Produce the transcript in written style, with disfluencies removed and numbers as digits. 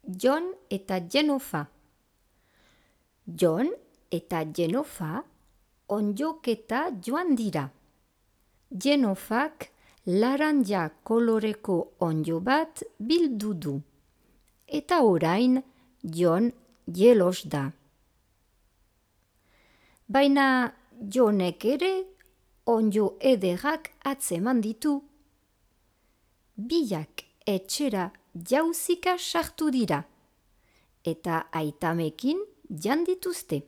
Jon eta Jenofa. Jon eta Jenofa ondoketa joan dira. Jenofak laranja koloreko onddo bat bildu du. Eta orain Jon jelos da. Baina Jonek ere onddo ederrak atzeman ditu. Biak etxera jauzika sartu dira. Eta aitamekin jan dituzte.